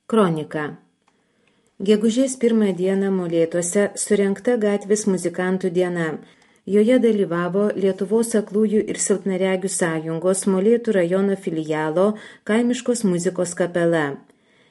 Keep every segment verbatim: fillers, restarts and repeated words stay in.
Kronika. Gegužės pirmą dieną Molėtuose surengta gatvės muzikantų diena. Joje dalyvavo Lietuvos aklųjų ir silpnaregių sąjungos Molėtų rajono filialo kaimiškos muzikos kapela.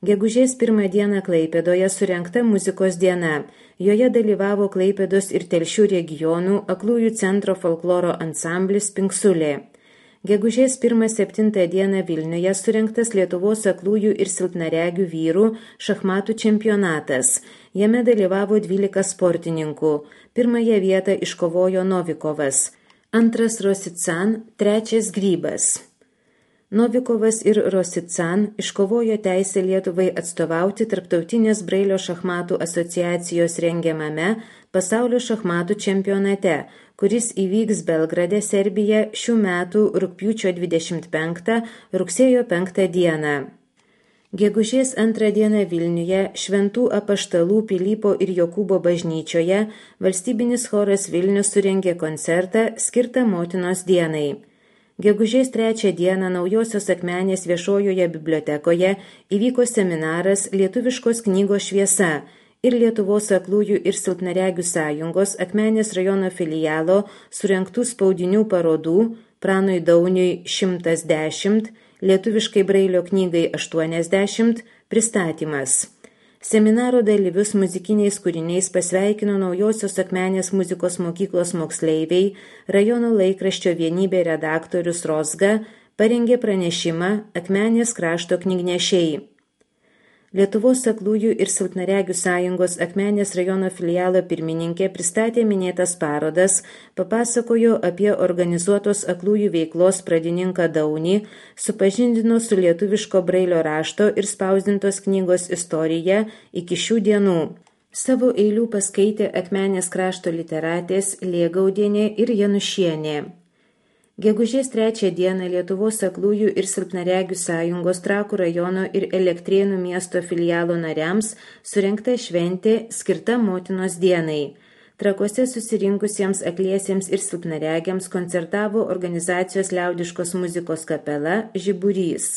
Gegužės pirmą dieną Klaipėdoje surengta muzikos diena. Joje dalyvavo Klaipėdos ir Telšių regionų aklųjų centro folkloro ansamblis Pinksulė. Gegužės pirmą septintą dieną Vilniuje surengtas Lietuvos aklųjų ir silpnaregių vyrų šachmatų čempionatas. Jame dalyvavo dvylika sportininkų. Pirmąją vietą iškovojo Novikovas, antras Rosican, trečias Grybas. Novikovas ir Rosican iškovojo teisę Lietuvai atstovauti Tarptautinės Brailio šachmatų asociacijos rengiamame pasaulio šachmatų čempionate, kuris įvyks Belgrade, Serbija šių metų rugpjūčio dvidešimt penktą - rugsėjo penktą dieną. Gegužės antrą dieną Vilniuje Šventų apaštalų Pilypo ir Jokūbo bažnyčioje valstybinis choras Vilnius surengė koncertą skirtą Motinos dienai. Gegužės trečią dieną Naujosios Akmenės viešojoje bibliotekoje įvyko seminaras Lietuviškos knygos šviesa ir Lietuvos aklųjų ir silpnaregių sąjungos Akmenės rajono filialo surengtų spaudinių parodų Pranui Dauniui šimtas dešimt, lietuviškai Brailio knygai aštuoniasdešimt pristatymas. Seminaro dalyvius muzikiniais kūriniais pasveikino Naujosios Akmenės muzikos mokyklos moksleiviai, rajono laikraščio Vienybė redaktorius Rozga parengė pranešimą Akmenės krašto knygnešiai. Lietuvos aklųjų ir silpnaregių sąjungos Akmenės rajono filialo pirmininkė pristatė minėtas parodas, papasakojo apie organizuotos aklųjų veiklos pradininką Daunį, supažindino su lietuviško Brailio rašto ir spausdintos knygos istorija iki šių dienų. Savo eilių paskaitė Akmenės krašto literatės Lėgaudienė ir Janušienė. Gegužės trečią dieną Lietuvos aklųjų ir silpnaregių sąjungos Trakų rajono ir Elektrėnų miesto filialo nariams surengta šventė skirta Motinos dienai. Trakuose susirinkusiems akliesiems ir silpnaregiams koncertavo organizacijos liaudiškos muzikos kapela Žiburys.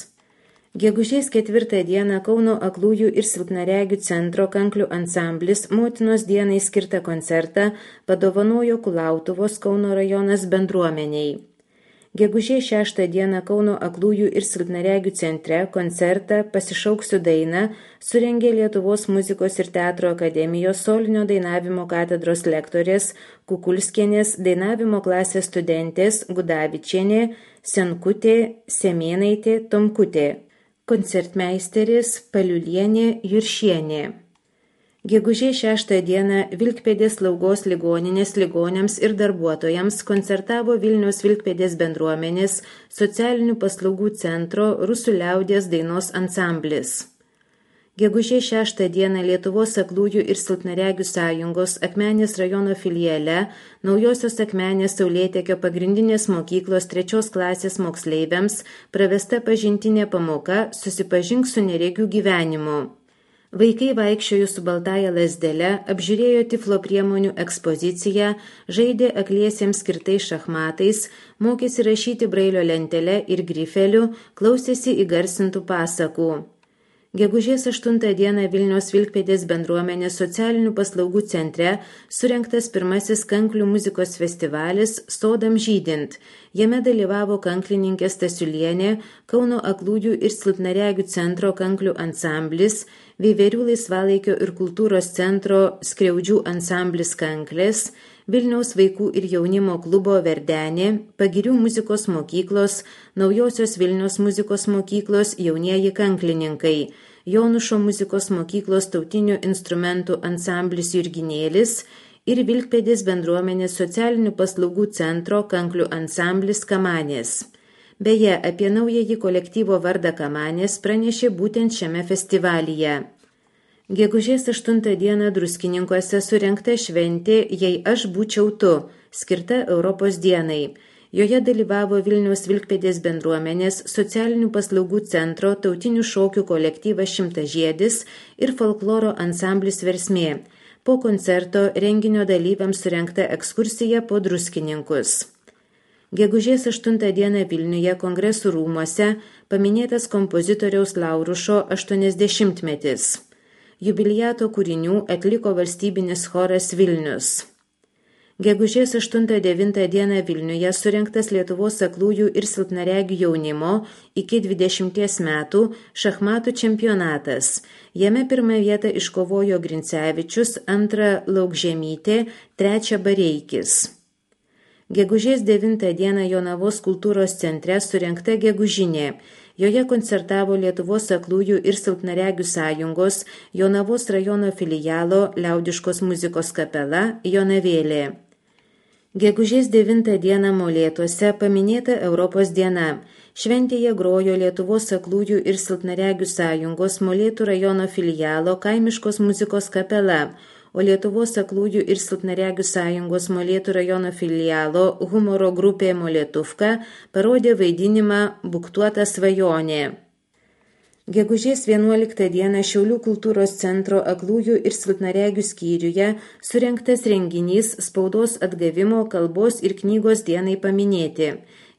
Gegužės ketvirtą dieną Kauno aklųjų ir silpnaregių centro kanklių ansamblis Motinos dienai skirtą koncertą padovanojo Kulautuvos Kauno rajonas bendruomeniai. Gegužės šeštą dieną Kauno aklųjų ir silpnaregių centre koncertą Pasišauksiu dainą surengė Lietuvos muzikos ir teatro akademijos solinio dainavimo katedros lektorės Kukulskienės, dainavimo klasės studentės Gudavičienė, Senkutė, Semėnaitė, Tomkutė, koncertmeisteris Paliulienė, Juršienė. Gegužės šeštą dieną Vilkpėdės slaugos ligoninės ligoniams ir darbuotojams koncertavo Vilniaus Vilkpėdės bendruomenės socialinių paslaugų centro Rusų liaudies dainos ansamblis. Gegužės šeštą dieną Lietuvos aklųjų ir silpnaregių sąjungos Akmenės rajono filiale Naujosios Akmenės Saulėtekio pagrindinės mokyklos trečios klasės moksleiviams pravesta pažintinė pamoka Susipažink su neregių gyvenimu. Vaikai vaikščiojo su baltąja lazdele, apžiūrėjo tiflo priemonių ekspoziciją, žaidė akliesiems skirtais šachmatais, mokėsi rašyti Brailio lentele ir grifeliu, klausėsi įgarsintų pasakų. Gegužės aštuntą dieną Vilniaus Vilkpėdės bendruomenės socialinių paslaugų centre surengtas pirmasis kanklių muzikos festivalis Sodam žydint. Jame dalyvavo kanklininkė Stasiulienė, Kauno aklųjų ir silpnaregių centro kanklių ansamblis, Veiverių laisvalaikio ir kultūros centro Skriaudžių ansamblis Kanklės, Vilniaus vaikų ir jaunimo klubo Verdenė, Pagirių muzikos mokyklos, Naujosios Vilniaus muzikos mokyklos jaunieji kanklininkai, Jonušo muzikos mokyklos tautinių instrumentų ansamblis Jurginėlis ir Vilkpėdės bendruomenės socialinių paslaugų centro kanklių ansamblis Kamanės. Beje, apie naująjį kolektyvo vardą Kamanės pranešė būtent šiame festivalyje. Gegužės aštuntą dieną Druskininkuose surengta šventė Jei aš būčiau tu, skirta Europos dienai. Joje dalyvavo Vilniaus Vilkpėdės bendruomenės socialinių paslaugų centro tautinių šokių kolektyvas Šimtažiedis ir folkloro ansamblis Versmė. Po koncerto renginio dalyviams surengta ekskursija po Druskininkus. Gegužės aštuntą dieną Vilniuje Kongresų rūmuose paminėtas kompozitoriaus Laurušo aštuoniasdešimtmetis. Jubiliato kūrinių atliko valstybinis choras Vilnius. Gegužės aštuntą devintą dieną Vilniuje surengtas Lietuvos aklųjų ir silpnaregių jaunimo iki dvidešimties metų šachmatų čempionatas. Jame pirmą vietą iškovojo Grincevičius, antrą Laukžemytė, trečią Bareikis. Gegužės devintą dieną Jonavos kultūros centre surengta gegužinė. Joje koncertavo Lietuvos aklųjų ir silpnaregių sąjungos Jonavos rajono filialo liaudiškos muzikos kapela Jonavėlė. Gegužės devintą dieną Molėtuose paminėta Europos diena. Šventėje grojo Lietuvos aklųjų ir silpnaregių sąjungos Molėtų rajono filialo kaimiškos muzikos kapela, o Lietuvos aklųjų ir silpnaregių sąjungos Molėtų rajono filialo humoro grupė Molėtuvka parodė vaidinimą Buktuota svajonė. Gegužės vienuoliktą dieną Šiaulių kultūros centro aklųjų ir silpnaregių skyriuje surengtas renginys spaudos atgavimo kalbos ir knygos dienai paminėti.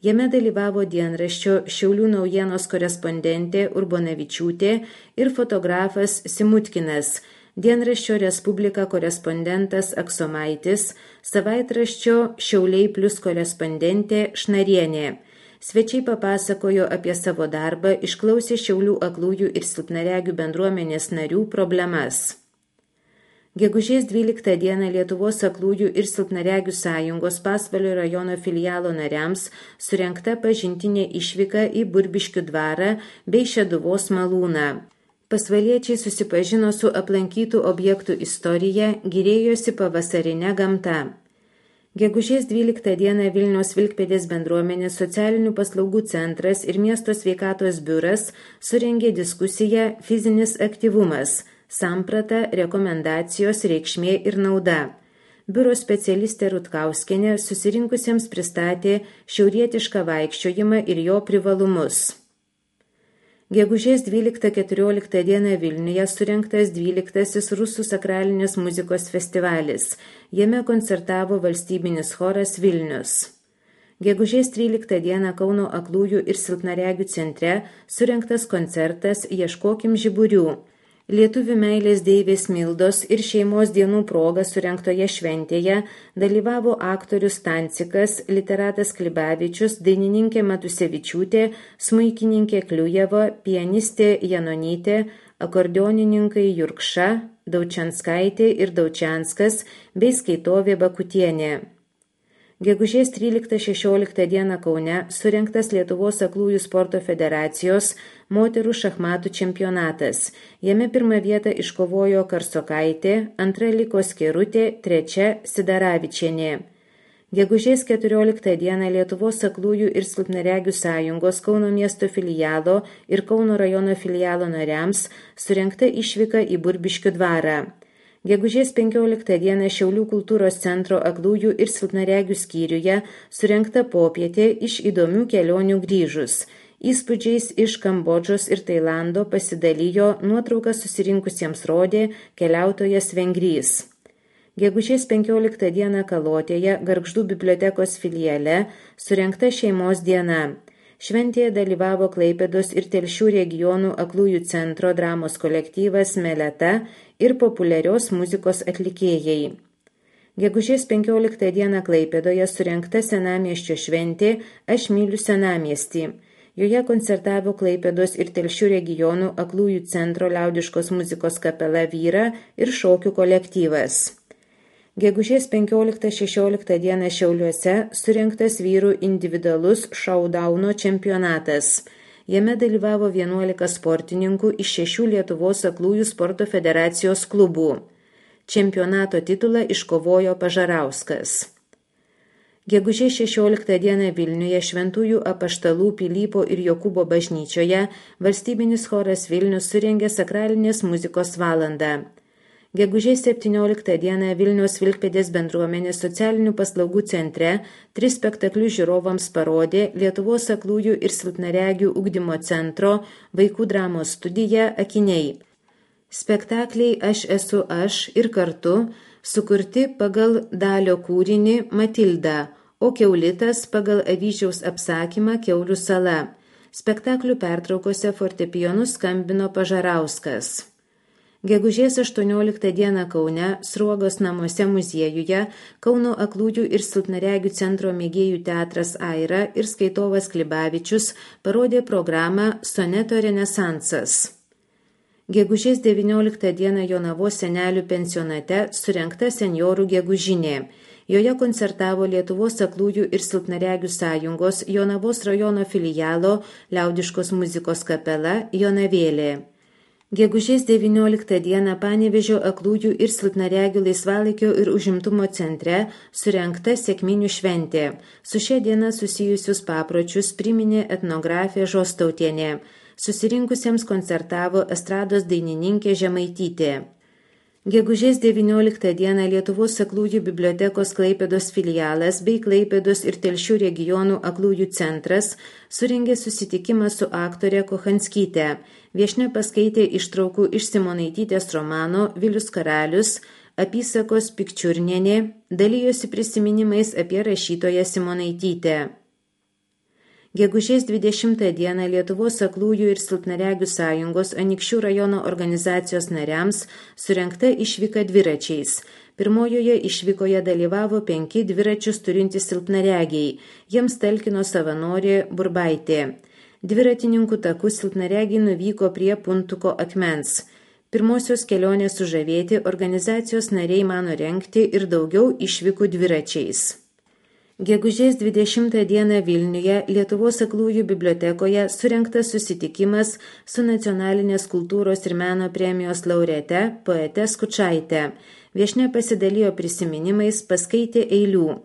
Jame dalyvavo dienraščio Šiaulių naujienos korespondentė Urbonavičiūtė ir fotografas Simutkinas, dienraščio Respublika korespondentas Aksomaitis, savaitraščio Šiauliai plus korespondentė Šnarienė. Svečiai papasakojo apie savo darbą, išklausė Šiaulių aklųjų ir silpnaregių bendruomenės narių problemas. Gegužės dvyliktą dieną Lietuvos aklųjų ir silpnaregių sąjungos Pasvalio rajono filialo nariams surengta pažintinė išvyka į Burbiškių dvarą bei Šeduvos malūną. Pasvaliečiai susipažino su aplankytų objektų istorija, gyrėjosi pavasarine gamta. Gegužės dvyliktą dieną Vilniaus Vilkpėdės bendruomenės socialinių paslaugų centras ir miesto sveikatos biuras surengė diskusiją Fizinis aktyvumas – samprata, rekomendacijos, reikšmė ir nauda. Biuro specialistė Rutkauskienė susirinkusiems pristatė šiaurietišką vaikščiojimą ir jo privalumus. Gegužės dvyliktą keturioliktą dieną Vilniuje surengtas dvyliktasis Rusų sakralinės muzikos festivalis. Jame koncertavo valstybinis choras Vilnius. Gegužės tryliktą dieną Kauno aklųjų ir silpnaregių centre surengtas koncertas Ieškokim žiburių. Lietuvių meilės deivės Mildos ir šeimos dienų proga surengtoje šventėje dalyvavo aktorius Stancikas, literatas Klibavičius, dainininkė Matusevičiūtė, smuikininkė Kliujeva, pianistė Janonytė, akordeonininkai Jurkša, Daučianskaitė ir Daučianskas bei skaitovė Bakutienė. Gegužės tryliktą šešioliktą dieną Kaune surengtas Lietuvos aklųjų sporto federacijos moterų šachmatų čempionatas. Jame pirmą vietą iškovojo Karsokaitė, antra liko Skerutė, trečia Sidaravičienė. Gegužės keturioliktą dieną Lietuvos aklųjų ir silpnaregių sąjungos Kauno miesto filialo ir Kauno rajono filialo nariams surengta išvyka į Burbiškių dvarą. Gegužės penkioliktą dieną Šiaulių kultūros centro aklųjų ir silpnaregių skyriuje surengta popietė iš įdomių kelionių grįžus. Įspūdžiais iš Kambodžos ir Tailando pasidalijo nuotrauką susirinkusiems rodė keliautojas Vengrys. Gegužės penkioliktą dieną Kalotėje Gargždų bibliotekos filiale surengta šeimos diena. Šventėje dalyvavo Klaipėdos ir Telšių regionų aklųjų centro dramos kolektyvas Meleta ir populiarios muzikos atlikėjai. Gegužės penkioliktą dieną Klaipėdoje surengta senamiesčio šventė Aš myliu senamiestį. Joje koncertavo Klaipėdos ir Telšių regionų aklųjų centro liaudiškos muzikos kapela Vyra ir šokių kolektyvas. Gegužės penkioliktą šešioliktą dieną Šiauliuose surengtas vyrų individualus šaudauno čempionatas. Jame dalyvavo vienuolika sportininkų iš šešių Lietuvos aklųjų sporto federacijos klubų. Čempionato titulą iškovojo Pažarauskas. Gegužės šešioliktą dieną Vilniuje Šventųjų apaštalų Pilypo ir Jokūbo bažnyčioje valstybinis choras Vilnius surengė sakralinės muzikos valandą. Gegužės septynioliktą dieną Vilniaus Vilkpėdės bendruomenės socialinių paslaugų centre tris spektaklius žiūrovams parodė Lietuvos aklųjų ir silpnaregių ugdymo centro vaikų dramos studija Akiniai. Spektakliai Aš esu aš ir kartu sukurti pagal Dalio kūrinį Matilda, o Kiaulitas pagal Avyžiaus apsakymą Kiaulių sala. Spektaklių pertraukose fortepijonu skambino Pažarauskas. Gegužės aštuonioliktą dieną Kaune, Sruogos namuose muziejuje, Kauno aklųjų ir silpnaregių centro mėgėjų teatras Aira ir skaitovas Klibavičius parodė programą Soneto renesansas. Gegužės devynioliktą dieną Jonavos senelių pensionate surengta senjorų gegužinė. Joje koncertavo Lietuvos aklųjų ir silpnaregių sąjungos Jonavos rajono filialo liaudiškos muzikos kapela Jonavėlė. Gegužės devynioliktą dieną Panevėžio aklųjų ir silpnaregių laisvalaikio ir užimtumo centre surengta sekminių šventė. Su šia diena susijusius papročius priminė etnografė Žostautienė. Susirinkusiems koncertavo estrados dainininkė Žemaitytė. Gegužės devynioliktą dieną Lietuvos aklųjų bibliotekos Klaipėdos filialas bei Klaipėdos ir Telšių regionų aklųjų centras surengė susitikimą su aktore Kochanskyte. Viešnia paskaitė ištraukų iš Simonaitytės romano Vilius karalius, apysakos Pikčiurnienė, dalijosi prisiminimais apie rašytoją Simonaitytę. Gegužės dvidešimtą dieną Lietuvos aklųjų ir silpnaregių sąjungos Anykščių rajono organizacijos nariams surengta išvyka dviračiais. Pirmojoje išvykoje dalyvavo penki dviračius turintys silpnaregiai. Jiems talkino savanorė Burbaitė. Dviratininkų takų silpnaregiai nuvyko prie Puntuko akmens. Pirmosios kelionės sužavėti organizacijos nariai mano rengti ir daugiau išvykų dviračiais. Gegužės dvidešimtą dieną Vilniuje Lietuvos aklųjų bibliotekoje surengtas susitikimas su nacionalinės kultūros ir meno premijos laureate poete Skučaite. Viešnia pasidalijo prisiminimais, paskaitė eilių.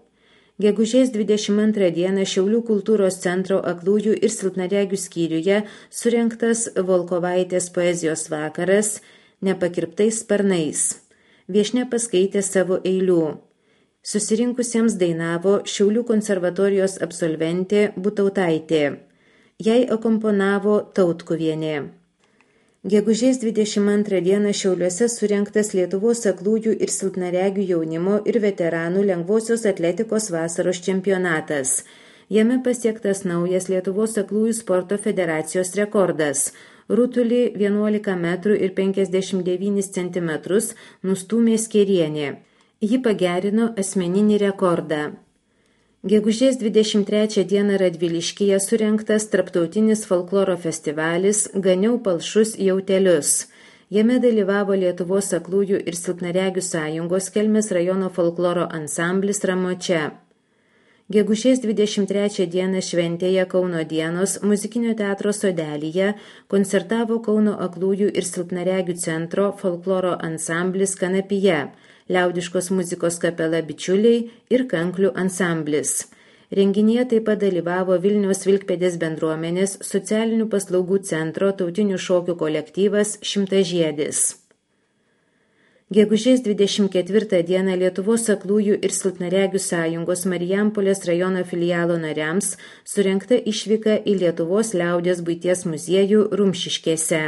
Gegužės dvidešimt antrą dieną Šiaulių kultūros centro aklųjų ir silpnaregių skyriuje surengtas Volkovaitės poezijos vakaras Nepakirptais sparnais. Viešnia paskaitė savo eilių. Susirinkusiems dainavo Šiaulių konservatorijos absolventė Butautaitė. Jai akomponavo Tautkuvienė. Gegužės dvidešimt antrą dieną Šiauliuose surengtas Lietuvos aklųjų ir silpnaregių jaunimo ir veteranų lengvosios atletikos vasaros čempionatas. Jame pasiektas naujas Lietuvos aklųjų sporto federacijos rekordas. Rutulį vienuolika metrų ir penkiasdešimt devynis centimetrus nustūmė Skėrienė. Ji pagerino asmeninį rekordą. Gegužės dvidešimt trečią dieną Radviliškyje surengtas tarptautinis folkloro festivalis Ganiau palšus jautelius. Jame dalyvavo Lietuvos aklųjų ir silpnaregių sąjungos Kelmės rajono folkloro ansamblis Ramočia. Gegužės dvidešimt trečią dieną šventėje Kauno dienos muzikinio teatro sodelyje koncertavo Kauno aklųjų ir silpnaregių centro folkloro ansamblis Kanapija, liaudiškos muzikos kapela Bičiuliai ir kanklių ansamblis. Renginyje taip pat dalyvavo Vilniaus Vilkpėdės bendruomenės socialinių paslaugų centro tautinių šokių kolektyvas Šimtažiedis. Gegužės dvidešimt ketvirtą dieną Lietuvos aklųjų ir silpnaregių sąjungos Marijampolės rajono filialo nariams surengta išvyka į Lietuvos liaudies buities muziejų Rumšiškėse.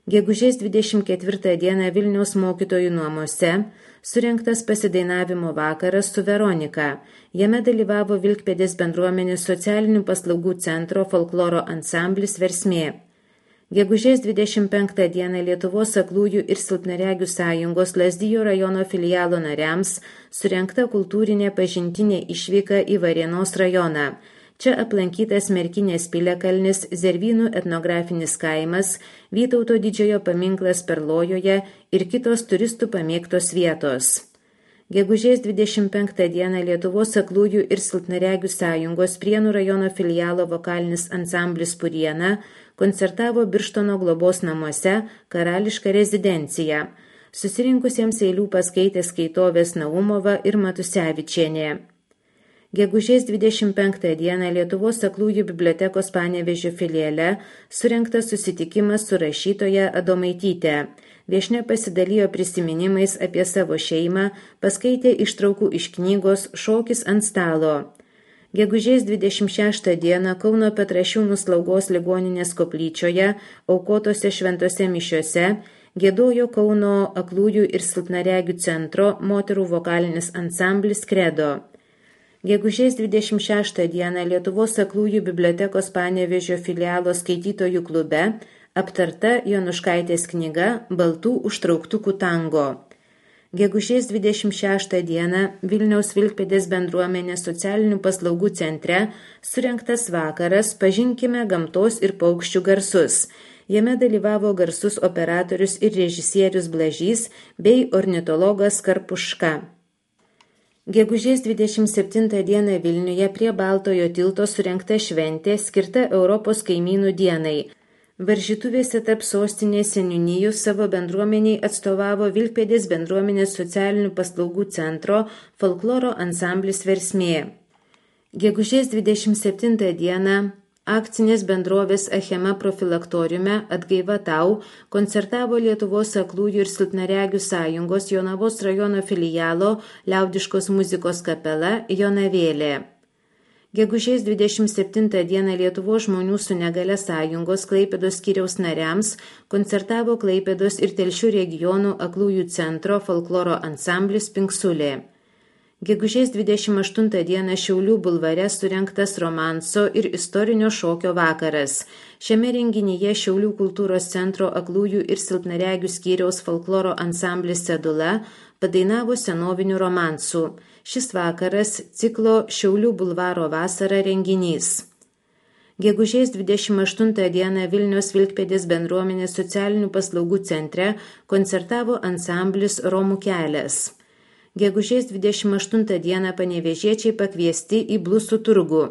Gegužės dvidešimt ketvirtą dieną Vilniaus mokytojų namuose surengtas pasidainavimo vakaras su Veronika. Jame dalyvavo Vilkpėdės bendruomenės socialinių paslaugų centro folkloro ansamblis Versmė. Gegužės dvidešimt penktą dieną Lietuvos aklųjų ir silpnaregių sąjungos Lazdijų rajono filialo nariams surengta kultūrinė pažintinė išvyka į Varėnos rajoną. Čia aplankytas Merkinės piliakalnis, Zervynų etnografinis kaimas, Vytauto didžiojo paminklas Perlojoje ir kitos turistų pamėgtos vietos. Gegužės dvidešimt penktą dieną Lietuvos aklųjų ir silpnaregių sąjungos Prienų rajono filialo vokalinis ansamblis Puriena koncertavo Birštono globos namuose Karališką rezidenciją. Susirinkusiems eilių paskaitė skaitovės Naumova ir Matusevičienė. Gegužės dvidešimt penktą dieną Lietuvos aklųjų bibliotekos Panevėžio filiale surengtas susitikimas su rašytoja Adomaityte. Viešnia pasidalijo prisiminimais apie savo šeimą, paskaitė ištraukų iš knygos Šokis ant stalo. Gegužės dvidešimt šeštą dieną Kauno Petrašiūnų slaugos ligoninės koplyčioje aukotose šventose mišiose giedojo Kauno aklųjų ir silpnaregių centro moterų vokalinis ansamblis Kredo. Gegužės dvidešimt šeštą dieną Lietuvos aklųjų bibliotekos Panevėžio filialo skaitytojų klube aptarta Jonuškaitės knyga Baltų užtrauktukų tango. Gegužės dvidešimt šeštą dieną Vilniaus Vilkpėdės bendruomenės socialinių paslaugų centre surengtas vakaras Pažinkime gamtos ir paukščių garsus. Jame dalyvavo garsus operatorius ir režisierius Blažys bei ornitologas Karpuška. Gegužės dvidešimt septintą dieną Vilniuje prie Baltojo tilto surengta šventė skirta Europos kaimynų dienai. Varžytuvėse tarp sostinės seniūnijų savo bendruomeniai atstovavo Vilkpėdės bendruomenės socialinių paslaugų centro folkloro ansamblis Versmė. Gegužės dvidešimt septintą dieną akcinės bendrovės Achema profilaktoriume Atgaiva tau koncertavo Lietuvos aklųjų ir silpnaregių sąjungos Jonavos rajono filialo liaudiškos muzikos kapela Jonavėlė. Gegužės dvidešimt septintą dieną Lietuvos žmonių su negale sąjungos Klaipėdos skyriaus nariams koncertavo Klaipėdos ir Telšių regionų aklųjų centro folkloro ansamblis Pinksulė. Gegužės dvidešimt aštuntą dieną Šiaulių bulvare surengtas romanso ir istorinio šokio vakaras. Šiame renginyje Šiaulių kultūros centro aklųjų ir silpnaregių skyriaus folkloro ansamblis Sedula padainavo senovinių romansų. Šis vakaras ciklo Šiaulių bulvaro vasara renginys. Gegužės dvidešimt aštuntą dieną Vilniaus Vilkpėdės bendruomenės socialinių paslaugų centre koncertavo ansamblis Romų kelias. Gegužės dvidešimt aštuntą dieną panevėžiečiai pakviesti į blusų turgų.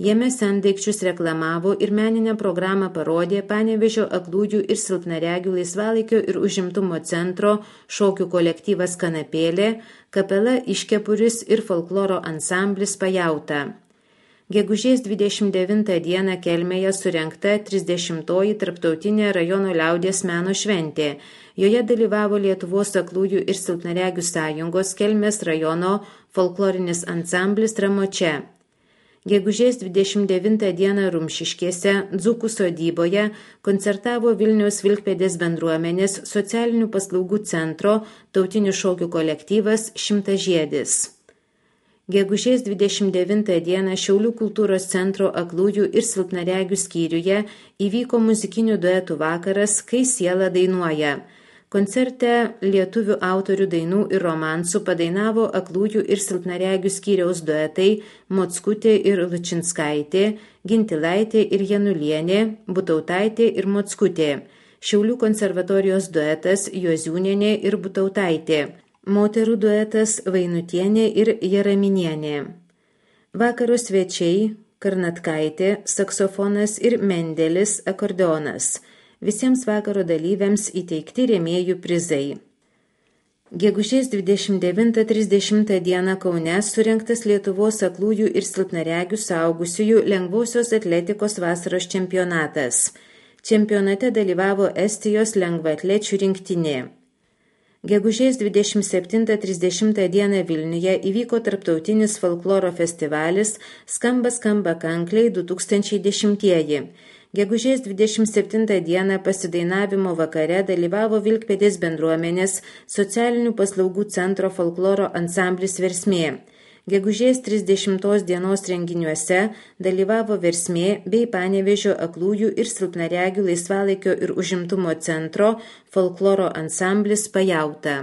Jame sendaikčius reklamavo ir meninę programą parodė Panevėžio aklųjų ir silpnaregių laisvalaikio ir užimtumo centro šokių kolektyvas Kanapėlė, kapela Iškepuris ir folkloro ansamblis Pajauta. Gegužės dvidešimt devintą dieną Kelmėje surengta trisdešimtoji tarptautinė rajono liaudies meno šventė. Joje dalyvavo Lietuvos aklųjų ir silpnaregių sąjungos Kelmės rajono folklorinis ansamblis Ramočia. Gegužės dvidešimt devintą dieną Rumšiškėse, Dzūkų sodyboje, koncertavo Vilniaus Vilkpėdės bendruomenės socialinių paslaugų centro tautinių šokių kolektyvas Šimtažiedis. Gegužės dvidešimt devintą dieną Šiaulių kultūros centro aklųjų ir silpnaregių skyriuje įvyko muzikinių duetų vakaras Kai siela dainuoja. Koncerte lietuvių autorių dainų ir romansų padainavo aklųjų ir silpnaregių skyriaus duetai Mockutė ir Lučinskaitė, Gintilaitė ir Janulienė, Butautaitė ir Mockutė, Šiaulių konservatorijos duetas Juoziūnienė ir Butautaitė, moterų duetas Vainutienė ir Jaraminienė. Vakaro svečiai Karnatkaitė, saksofonas ir Mendelis, akordeonas. Visiems vakaro dalyviams įteikti rėmėjų prizai. Gegužės dvidešimt devintą trisdešimtą dieną Kaune surengtas Lietuvos aklųjų ir silpnaregių suaugusiųjų lengvosios atletikos vasaros čempionatas. Čempionate dalyvavo Estijos lengvaatlečių rinktinė. Gegužės dvidešimt septintą trisdešimtą dieną Vilniuje įvyko tarptautinis folkloro festivalis Skamba skamba kankliai du tūkstančiai dešimtieji. Gegužės dvidešimt septintą dieną pasidainavimo vakare dalyvavo Vilkpėdės bendruomenės socialinių paslaugų centro folkloro ansamblis Versmė. Gegužės trisdešimtos dienos renginiuose dalyvavo Versmė bei Panevėžio aklųjų ir silpnaregių laisvalaikio ir užimtumo centro folkloro ansamblis Pajauta.